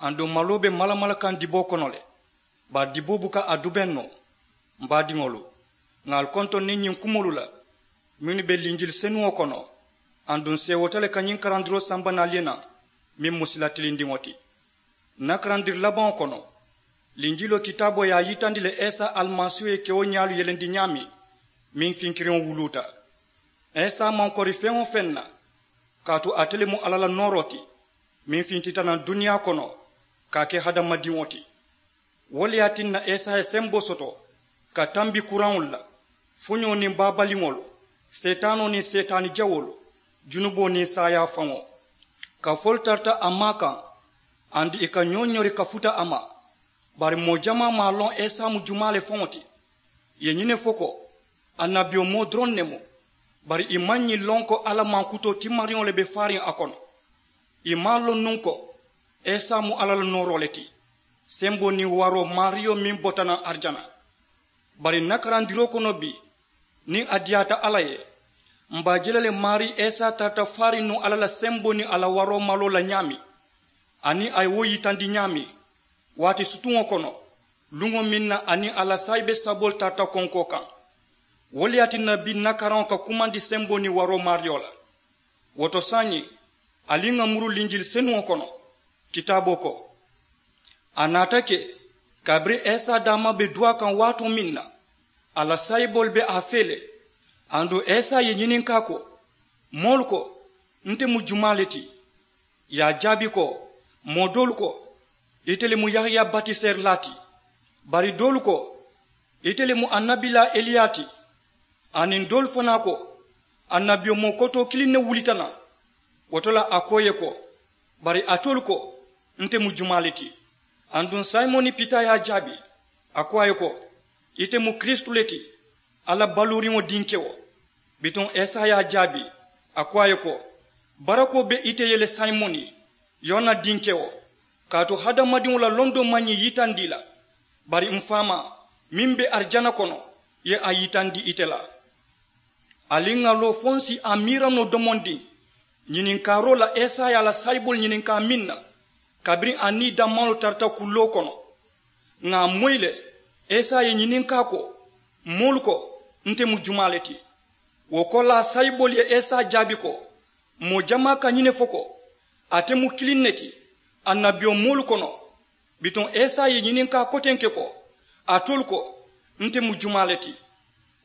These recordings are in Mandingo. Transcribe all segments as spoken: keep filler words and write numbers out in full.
Aduŋ maloo be malamala kaŋ diboo kono le, bari diboo buka a dubeŋ noo. M baadiŋolu, ŋà ali kontoŋ niŋ ñiŋ kumoolu la mennu be linjili senuŋo kono. Aduŋ seewota le ka ñiŋ karandiroo samba naŋ ali ye naŋ, meŋ mu sila tilindiŋo ti. N na karandiri labaŋo kono, linjiloo kitaaboo ye a yitandi le isa alimasiihu ye kewo ñaalu yelendi ñaameŋ, meŋ finkiriŋo wuluuta. Isa maŋ kori feŋ-wo-feŋ na, kaatu ate le mu alla la nooroo ti, meŋ fintita naŋ duniyaa kono ka a ke hadamadiŋo ti. Wo le ye a tinna isa ye semboo soto ka tambi kuraŋolu la, foñoo niŋ baabaliŋolu, seetaanoo niŋ seetaani jawoolu, junuboo niŋ saayaa faŋo. Kafoo le tarata a maa kaŋ, aduŋ ì ka ñoo ñori ka futa a ma. Bari moo jamaa maŋ a loŋ isa mu jumaa le faŋo ti. Ì ye ñiŋ ne fo ko, annabiyomoo doroŋ ne mu. Bari ì maŋ ñiŋ loŋ ko alla mankutoo timmariŋo le be faariŋ a kono. Ì maŋ a loŋ nuŋ ko isa mu alla la nooroo le ti, semboo niŋ waroo maariyo meŋ bota naŋ arijana. Bari n na karandiroo kono bii, niŋ a diyaata alla ye, m be a je la le maarii isa tarata faariŋ nuŋ alla la semboo niŋ a la waroo maloo la ñaameŋ, aniŋ a ye wo yitandi ñaameŋ, waati sutuŋo kono, luŋo meŋ na a niŋ a la saayibe saboolu tarata konkoo kaŋ. Wo le ye a tinna bii n na karaŋo ka kumandi semboo niŋ waroo maariyo la. Wo to saayiŋ, ali ŋà muru linjili senuŋo kono. Kitaaboo ko, a naata ke, kabiriŋ isa daamaa be duwaa kaŋ waatoo meŋ na, a la saayiboolu be a fee le. Aduŋ isa ye ñininkaa ko, moolu ko, nte mu jumaa le ti? Ì ye a jaabi ko, moo doolu ko, ite le mu yahaya batiseerilaa ti. Bari doolu ko, ite le mu annabilaa eliya ti. Aniŋ doolu fanaa ko, annabiyomoo kotoo kiliŋ ne wulita naŋ. Wo to la a ko ì ye ko, bari alitolu ko, nte mu jumaa le ti? Aduŋ simoni pita ye a jaabi, a ko a ye ko, ite mu kiristu le ti, alla baluuriŋo dinkewo. Bituŋ isa ye a jaabi, a ko a ye ko, barakoo be ite ye le simoni, yona dinkewo. Kaatu hadamadiŋo la londoo maŋ ñiŋ yitandi ì la, bari m faamaa meŋ be arijana kono ye a yitandi ite la. Ali ŋà loo fo n si a miira noo domondiŋ, ñininkaaroo la isa ye a la saayiboolu ñininkaa meŋ na, kabiriŋ a niŋ ì dammaalu tarata kulloo kono. Ŋà a moyi le, isa ye ñininkaa ko, moolu ko, nte mu jumaa le ti? Wo koolaa saayiboolu ye isa jaabi ko, moo jamaa ka ñiŋ ne fo ko, ate mu kiliŋ ne ti annabiyomoolu kono. Bituŋ isa ye ñininkaa kotenke ko, alitolu ko, nte mu jumaa le ti?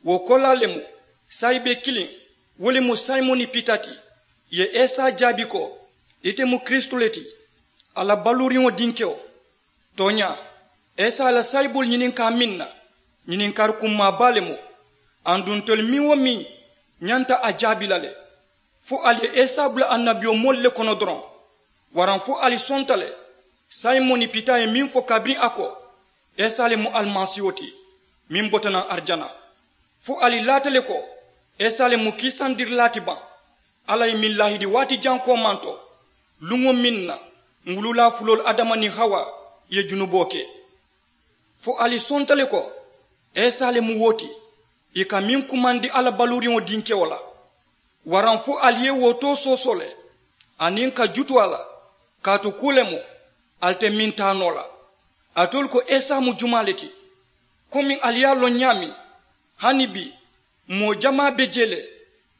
Wo koolaa le mu, saayibe kiliŋ, wo le mu simoni pita ti, ì ye isa jaabi ko, ite mu kiristu le ti, alla baluuriŋo dinkewo. Tooñaa, isa ye a la saayiboolu ñininkaa meŋ na, ñininkaari kummaa baa le mu. Aduŋ ntolu meŋ-wo-meŋ ñanta a jaabi la le, fo ali ye isa bula annabiyomoolu le kono doroŋ? Waraŋ fo ali sonta le simoni pita ye meŋ fo kabiriŋ a ko, isa le mu alimasiiho ti, meŋ bota naŋ arijana? Fo ali laata le ko, isa le mu kiisandirilaa ti baŋ? Alla ye meŋ laahidi waati jaŋ koomaŋ to, luŋo meŋ na, ǹ wululaa fuloolu adama niŋ hawa ye junuboo ke. Fo ali sonta le ko, isa le mu wo ti, ì ka meŋ kumandi alla baluuriŋo dinkewo la? Waraŋ fo ali ye wo too soosoo le, aniŋ ka jutu a la? Kaatu kuu le mu, ali te meŋ taa noo la. Alitolu ko isa mu jumaa le ti? Komiŋ ali ye a loŋ ñaameŋ, hani bii, moo jamaa be jee le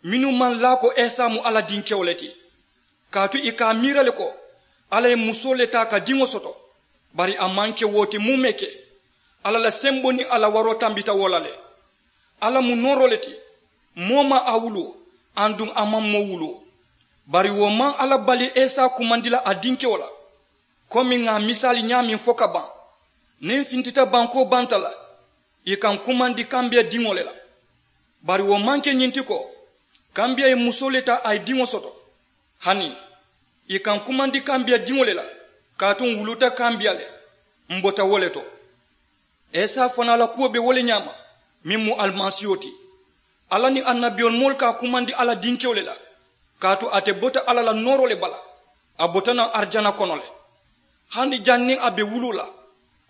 mennu maŋ laa ko isa mu alla dinkewo le ti. Kaatu ì ka a miira le ko, alla ye musoo le taa ka diŋo soto. Bari a maŋ ke wo ti muumee ke, alla la semboo niŋ a la waroo tambita wo la le. Alla mu nooroo le ti, moo maŋ a wuluu, aduŋ a maŋ moo wuluu. Bari wo maŋ alla bali isa kumandi la a dinkewo la. Komiŋ ŋà a misaali ñaameŋ fo ka baŋ, niŋ n fintita bankoo banta la, ì ka n kumandi kambiya diŋo le la. Bari wo maŋ ke ñiŋ ti ko, kambiya ye musoo le taa a ye diŋo soto. Hani, ì ka n kumandi kambiya diŋo le la, kaatu ǹ wuluta kambiya le, m bota wo le to. Isa fanaa la kuwo be wo le ñaama, meŋ mu alimasiiho ti. Alla niŋ annabiyomoolu ka a kumandi a la dinkewo le la, kaatu ate bota alla la nooroo le bala. A bota naŋ arijana kono le. Hani janniŋ a be wuluu la,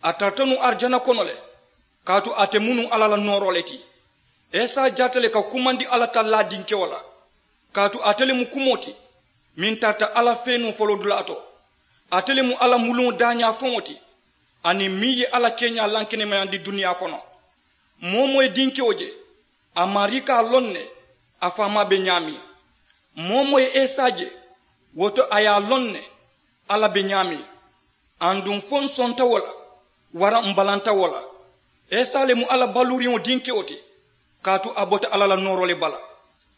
a tarata nuŋ arijana kono le, kaatu ate mu nuŋ alla la nooroo le ti. Isa jaata le ka kumandi alla tallaa dinkewo la, kaatu ate le mu kumoo ti, meŋ tarata alla fee nuŋ foloodulaa to. Ate le mu alla muluŋo daañaa faŋo ti, aniŋ meŋ ye alla keeñaa lankenemayandi duniyaa kono. Moo-wo-moo ye dinkewo je, a maarii ka a loŋ ne a faamaa be ñaameŋ. Moo-wo-moo ye isa je, wo to a ye a loŋ ne alla be ñaameŋ. Aduŋ fo ǹ sonta wo la, waraŋ ǹ balanta wo la. Isa le mu alla baluuriŋo dinkewo ti, kaatu a bota alla la nooroo le bala.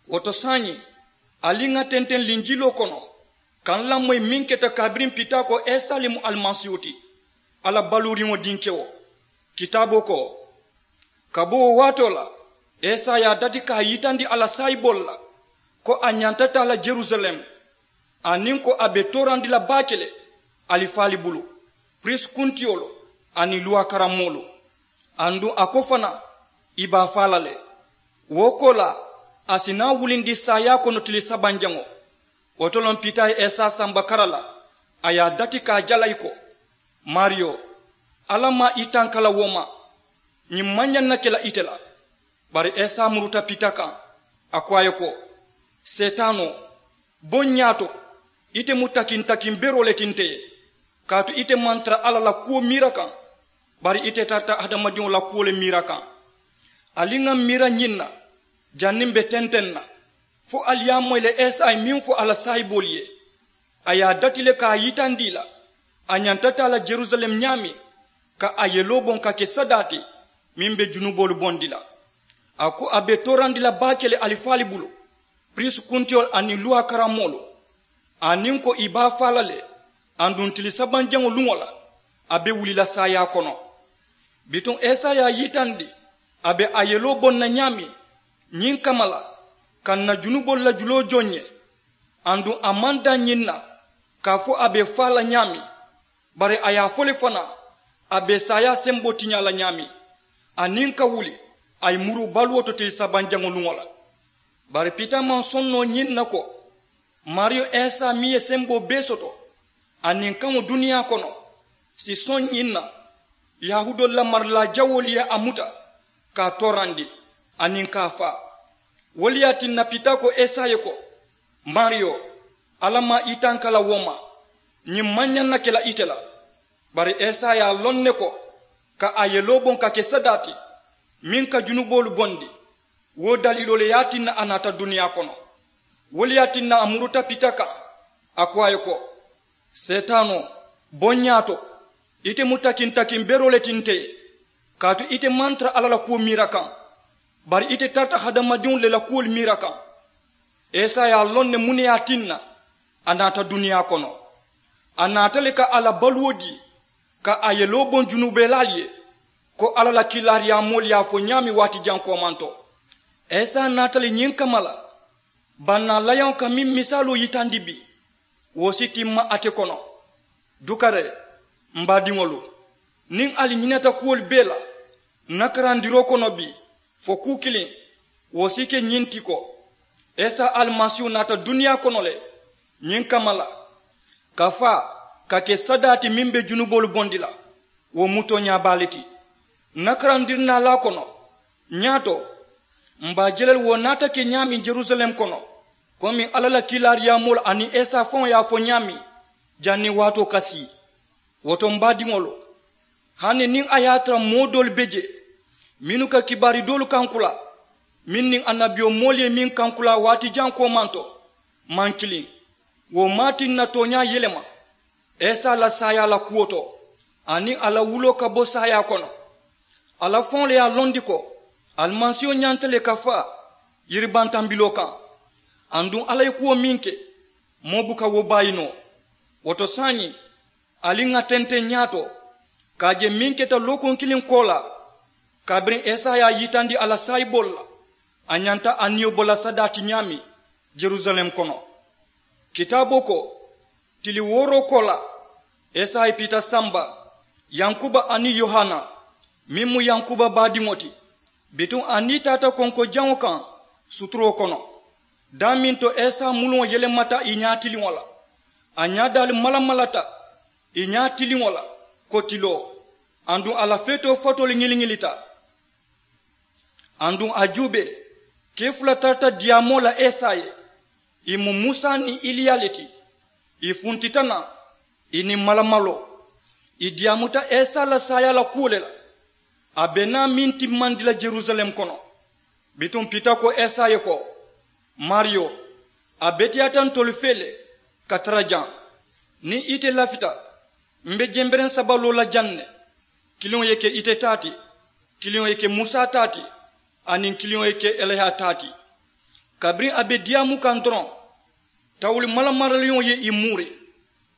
Wo to saayiŋ, ali ŋà tenteŋ linjiloo kono, ka ǹ lamoyi meŋ keta kabiriŋ pitaakoo isa le mu alimasiihu ti, alla baluuriŋo dinkewo. Kitaaboo ko, ka bo wo waatoo la, isa ye a dati ka a yitandi a la saayiboolu la, ko a ñanta taa la jerusalem, aniŋ ko a be toorandi la baake le alifaali bulu, piriisi kuntiyolu aniŋ luwaa karammoolu. Aduŋ a ko fanaa, ì be a faa la le. Wo koolaa, a si naa wulindi saayaa kono tili sabanjaŋo. Wo to loŋ pita ye isa samba kara la, a ye a dati ka a jalayi ko, maariyo, alla maŋ i tanka la wo ma. Ñiŋ maŋ ñaŋ na ke la ite la. Bari isa muruta pita kaŋ, a ko a ye ko, seetaanoo, bo n ñaato, ite mu takintakin beroo le ti nte ye. Kaatu ite maŋ tara alla la kuwo miira kaŋ, bari ite tarata hadamadiŋo la kuwo le miira kaŋ. Ali ŋà miira ñiŋ na, janniŋ m̀ be tenteŋ na, fo ali ye a moyi le isa ye meŋ fo a la saayiboolu ye. A ye a dati le ka a yitandi ì la, a ñanta taa la jerusalem ñaameŋ, ka a yeloo boŋ ka ke sadaa ti meŋ be junuboolu bondi la. A ko a be toorandi la baake le alifaali bulu, piriisi kuntiyolu aniŋ luwaa karammoolu, aniŋ ko ì be a faa la le. Aduŋ tili sabanjaŋo luŋo la, a be wuli la saayaa kono. Bituŋ isa ye a yitandi a be a yeloo boŋ na ñaameŋ, ñiŋ kamma la, ka ǹ na junuboolu la juloo joŋ ǹ ye. Aduŋ a maŋ daŋ ñiŋ na, ka a fo a be faa la ñaameŋ, bari a ye a fo le fanaa, a be saayaa semboo tiñaa la ñaameŋ, aniŋ ka wuli a ye muruu baluwo to tili sabanjaŋo luŋo la. Bari pita maŋ soŋ noo ñiŋ na ko, maariyo isa meŋ ye semboo bee soto aniŋ kaŋo duniyaa kono, si soŋ ñiŋ na, yahuudoolu la marilaa jawoolu ye a muta, ka a toorandi aniŋ ka a faa. Wo le ye a tinna pita ko isa ye ko, maariyo, alla maŋ i tanka la wo ma. Ñiŋ maŋ ñaŋ na ke la ite la. Bari isa ye a loŋ ne ko, ka a yeloo boŋ ka ke sadaa ti meŋ ka junuboolu bondi, wo daliiloo le ye a tinna a naata duniyaa kono. Wo le ye a tinna a muruta pita kaŋ, a ko a ye ko, seetaanoo, bo n ñaato, ite mu takintakin beroo le ti nte ye. Kaatu ite maŋ tara alla la kuwo miira kaŋ, bari ite tarata hadamadiŋolu le la kuwolu miira kaŋ. Isa ye a loŋ ne muŋ ne ye a tinna a naata duniyaa kono. A naata le ka a la baluwo dii, ka a yeloo boŋ junuubelaalu ye, ko alla la kiilaariyaamoolu ye a fo ñaameŋ waati jaŋ koomanto. Isa naata le ñiŋ kamma la, bannaa layaŋo ka meŋ misaaloo yitandi bii, wo si timma ate kono. Dukaree, m baadiŋolu, niŋ ali ñinata kuwolu bee la ǹ na karandiroo kono bii, fo kuu kiliŋ, wo si ke ñiŋ ti ko, isa alimasiihu naata duniyaa kono le ñiŋ kamma la, ka faa, ka ke sadaa ti meŋ be junuboolu bondi la. Wo mu tooñaa baa le ti. Ǹ na karandiri naalaa kono, ñaato, m be a je la le wo naata ke ñaameŋ jerusalem kono, komiŋ alla la kiilaariyaamoolu aniŋ isa faŋo ye a fo ñaameŋ, janniŋ waatoo ka sii. Wo to m baadiŋolu, hani niŋ a ye a tara moo doolu be jee mennu ka kibaari doolu kankulaa, meŋ niŋ annabiyomoolu ye meŋ kankulaa waati jaŋ koomanto, maŋ kiliŋ, wo maŋ a tinna tooñaa yelema isa la saayaa la kuwo to, aniŋ a la wuloo ka bo saayaa kono. Alla faŋo le ye a londi ko alimasiiho ñanta le ka faa yiribantambiloo kaŋ. Aduŋ alla ye kuwo meŋ ke, moo buka wo baayi noo. Wo to saayiŋ, ali ŋà tenteŋ ñaato ka a je meŋ keta lookuŋ kiliŋ koolaa, kabiriŋ isa ye a yitandi a la saayiboolu la, a ñanta a niyo bo la sadaa ti ñaameŋ jerusalem kono. Kitaaboo ko, tili wooroo koolaa, isa ye pita samba yankuba aniŋ yohana, meŋ mu yankuba baadiŋo ti. Bituŋ a nii taata konko jaŋo kaŋ suturoo kono. Daameŋ to isa muluŋo yelemata ì ñaatiliŋo la, a ñaadaalu malamalata ì ñaatiliŋo la ko tiloo. Aduŋ a la feetoo fatoolu ŋiliŋilita. Aduŋ a juubee, kee fula tarata diyaamoo la isa ye. Ì mu musa niŋ iliya le ti. Ì funtita naŋ, I niŋ malamaloo i diyaamuta esa la saayaa la kuwo le la. A be naa meŋ timmandi la jerusalem kono. Bituŋ pita ko esa ye ko, maariyo, a beteyaata ntolu fee le ka tara jaŋ. Niŋ ite lafita, m be jembereŋ saba loo la jaŋ ne. Kiliŋo ye ke ite taa ti, kiliŋo ye ke musa taa ti, aniŋ kiliŋo ye ke eleya taa ti. Kabiriŋ a be diyaamu kaŋ doroŋ, tawuli malamaraliŋo ye i muuri.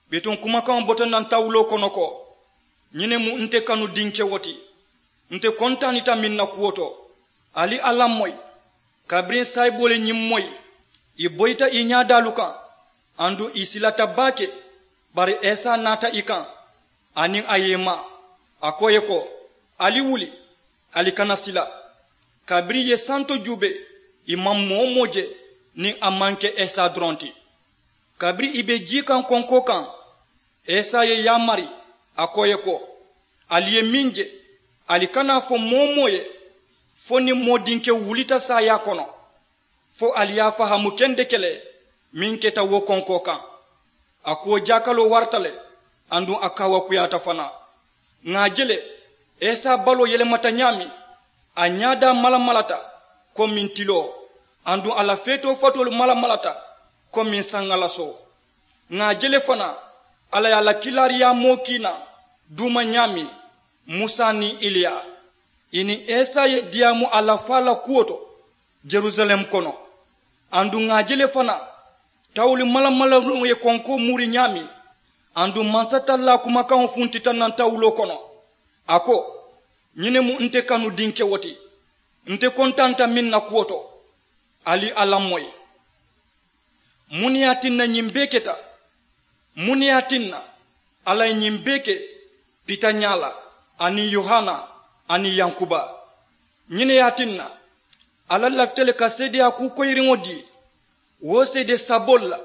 Bituŋ kumakaŋo bota naŋ tawuloo kono ko, ñiŋ ne mu nte kanu dinkewo ti. Nte kontaanita meŋ na kuwo to. Ali a lamoyi. Kabiriŋ saayiboo le ñiŋ moyi, i boyita i ñaadaalu kaŋ, aduŋ i silata baake. Bari esa naata i kaŋ, aniŋ a ye i maa, a ko i ye ko, ali wuli, ali kana sila. Kabiriŋ i ye santo juubee, i maŋ moo-wo-moo je niŋ a maŋ ke esa doroŋ ti. Kabiriŋ i be jii kaŋ konkoo kaŋ, esa ye yaamari, a ko i ye ko, ali ye meŋ je, ali kana a fo moo-wo-moo ye, fo niŋ moo dinkewo wulita saayaa kono, fo ali ye a fahaamu kendeke le meŋ keta wo konkoo kaŋ. A kuwo jaakaloo warata le, aduŋ a kaawakuyaata fanaa. Ŋà a je le, esa baloo yelemata ñaameŋ, a ñaadaa malamalata komiŋ tiloo, aduŋ a la feetoo fatoolu malamalata komiŋ saŋalasoo. Ŋà a je le fanaa, alla ye a la kiilaariyaamoo kiina duuma ñaameŋ, musa niŋ iliya. I niŋ esa ye diyaamu a la faa la kuwo to, jerusalem kono. Aduŋ ŋà a je le fanaa, tawuli malamalariŋo ye konkoo muuri ñaameŋ, aduŋ mansatallaa kumakaŋo funtita naŋ tawuloo kono. A ko, ñiŋ ne mu nte kanu dinkewo ti. Nte kontaanta meŋ na kuwo to. Ali a lamoyi. Muŋ ne ye a tinna ñiŋ bee keta? Muŋ ne ye a tinna alla ye ñiŋ bee ke? Pita ñaa la, aniŋ yohana, aniŋ yankuba. Ñiŋ ne ye a tinna alla lafita le ka seedeyaa kuu koyiriŋo dii wo seede saboolu la,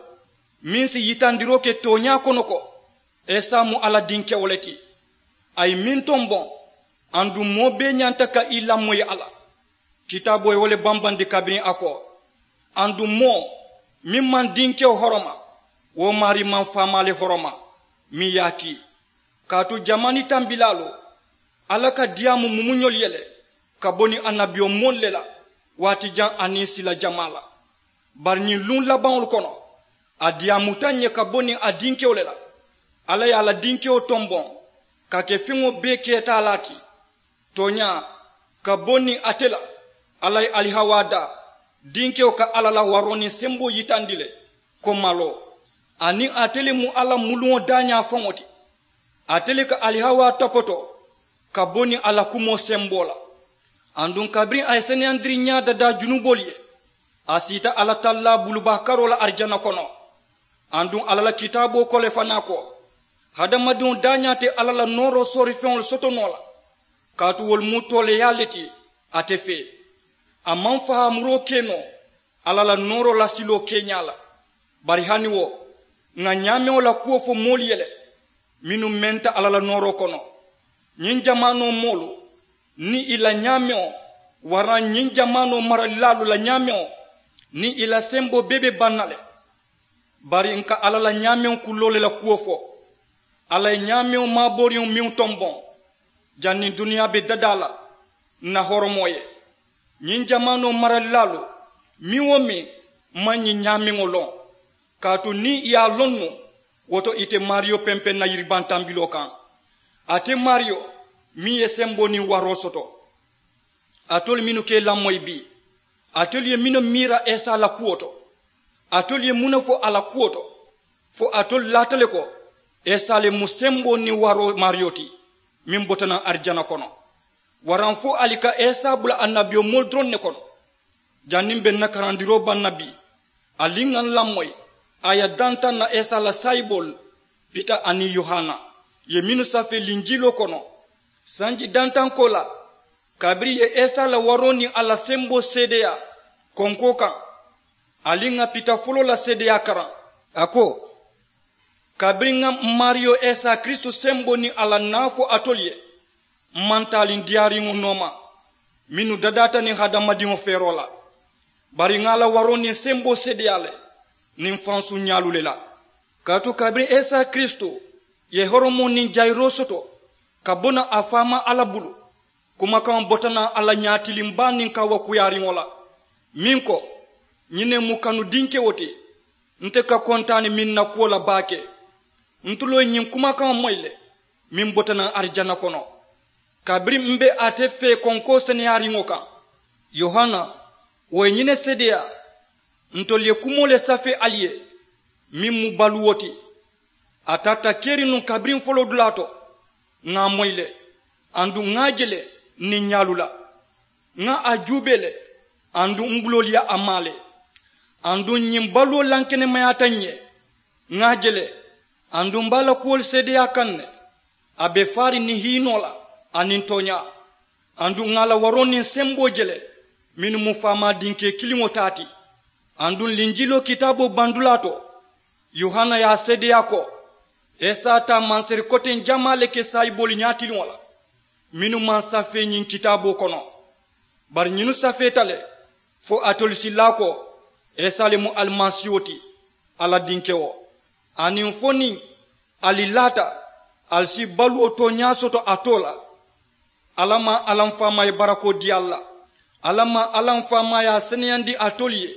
meŋ si yitandiroo ke tooñaa kono ko esa mu alla dinkewo le ti. A ye meŋ tomboŋ, aduŋ moo bee ñanta ka i lamoyi a la. Kitaaboo ye wo le bambandi kabiriŋ a ko, aduŋ moo meŋ maŋ dinkewo horoma, wo maarii maŋ faamaa le horoma meŋ ye a kii. Kaatu jamaani tambilaalu, alla ka diyaamu mumuñolu ye le ka bo niŋ annabiyomoolu le la, waati jaŋ aniŋ sila jamaa la. Bari ñiŋ luŋ labaŋolu kono, a diyaamuta ǹ ye ka bo niŋ a dinkewo le la. Alla ye a la dinkewo tomboŋ ka ke feŋo bee keetaalaa ti. Tooñaa, ka bo niŋ ate la, alla ye alihawaa daa, dinkewo ka alla la waroo niŋ semboo yitandi le ko maloo. Aniŋ ate le mu alla muluŋo daañaa faŋo ti. Ate le ka alihawaa topotoo ka bo niŋ a la kumoo semboo la. Aduŋ kabiriŋ a ye seneyandiriŋ ñaa dadaa junuboolu ye, a siita alla tallaa bulubaa karoo la arijana kono. Aduŋ alla la kitaaboo ko le fanaa ko, hadamadiŋo daañaa te alla la nooroo soorifeŋolu soto noo la, kaatu wolu mu tooleeyaa le ti ate fee. A maŋ fahaamuroo ke noo alla la nooroo la siloo keeñaa la. Bari hani wo, ŋà ñaameŋo la kuwo fo moolu ye le mennu menta alla la nooroo kono. Ñiŋ jamaanoo moolu niŋ i la ñaameŋo, waraŋ ñiŋ jamaanoo maralilaalu la ñaameŋo niŋ i la semboo bee be baŋ na le. Bari n ka alla la ñaameŋo kulloo le la kuwo fo. Alla ye ñaameŋo maabooriŋo meŋ tomboŋ janniŋ duniyaa be dadaa la, n na horomoo ye. Ñiŋ jamaanoo maralilaalu meŋ-wo-meŋ maŋ ñiŋ ñaameŋo loŋ. Kaatu niŋ i ye a loŋ nuŋ, wo to ite maariyo pempeŋ na yiribaŋ tambiloo kaŋ. Ate maariyo meŋ ye semboo niŋ waroo soto. Alitolu mennu ka i lamoyi bii, alitolu ye mennu miira esa la kuwo to? Alitolu ye muŋ ne fo a la kuwo to? Fo alitolu laata le ko esa le mu semboo niŋ waroo maariyo ti, meŋ bota naŋ arijana kono? Waraŋ fo ali ka esa bula annabiyomoolu doroŋ ne kono? Janniŋ be n na karandiroo baŋ na bii, ali ŋà n lamoyi a ye dantaŋ na esa la saayiboolu, pita aniŋ yohana, ye mennu safee linjiiloo kono sanji dantaŋ koolaa. Kabiriŋ i ye esa la waroo niŋ a la semboo seedeyaa konkoo kaŋ, ali ŋà pita foloo la seedeyaa karaŋ. A ko, kabiriŋ ŋà m maariyo esa kiristu semboo niŋ a la naa fo alitolu ye, m maŋ taaliŋ diyaariŋo nooma mennu dadaata niŋ hadamadiŋo feeroo la. Bari ŋà a la waroo niŋ semboo seedeyaa le niŋ fansuŋ ñaalu le la. Kaatu kabiriŋ esa kiristu Ye horomoo niŋ jayiroo soto ka bo naŋ a faamaa alla bulu. Kumakaŋo bota naŋ alla ñaatiliŋ baa niŋ kaawakuyaariŋo la, meŋ ko, ñiŋ ne mu kanu dinkewo ti. Nte ka kontaani meŋ na kuwo la baake. Ntuloo ye ñiŋ kumakaŋo moyi le, meŋ bota naŋ arijana kono. Kabiriŋ m be ate fee konkoo seneyaariŋo kaŋ, yohana, wo ye ñiŋ ne seedeyaa. Ntolu ye kumoo le safee ali ye, meŋ mu baluwo ti. A taata keriŋ nuŋ kabiriŋ foloodulaa to. Ŋà a moyi le, aduŋ ŋà a je le, n niŋ ñaalu la. Ŋà a juubee le, aduŋ m buloolu ye a maa le. Aduŋ ñiŋ baluwo lankenemayaata n ye. Ŋà a je le, aduŋ m be a la kuwolu seedeyaa kaŋ ne. A be faariŋ niŋ hiinoo la, aniŋ tooñaa. Aduŋ ŋà a la waroo niŋ semboo je le, mennu mu faamaa dinkee kiliŋo taa ti. Aduŋ linjiloo kitaaboo bandulaa to, yohana ye a seedeyaa ko, isa taa mansari koteŋ jamaa le ke saayiboolu ñaatiliŋo la, mennu maŋ safee ñiŋ kitaaboo kono. Bari ñinnu safeeta le, fo alitolu si laa ko, isa le mu alimasiiho ti, alla dinkewo. Aniŋ fo niŋ ali laata, ali si baluwo tooñaa soto a too la. Alla maŋ alla m faamaa ye barakoo dii ali la. Alla maŋ alla m faamaa ye a seneyandi alitolu ye.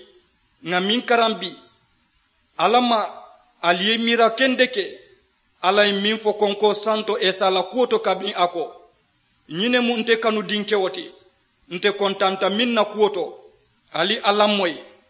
Ŋà meŋ karambi, alla maŋ ali ye miira kendeke. Alla ye meŋ fo konkoo santo isa la kuwo to kabiriŋ a ko, ñiŋ ne mu nte kanu dinkewo ti. Nte kontanta meŋ na kuwo to, ali alla moyi.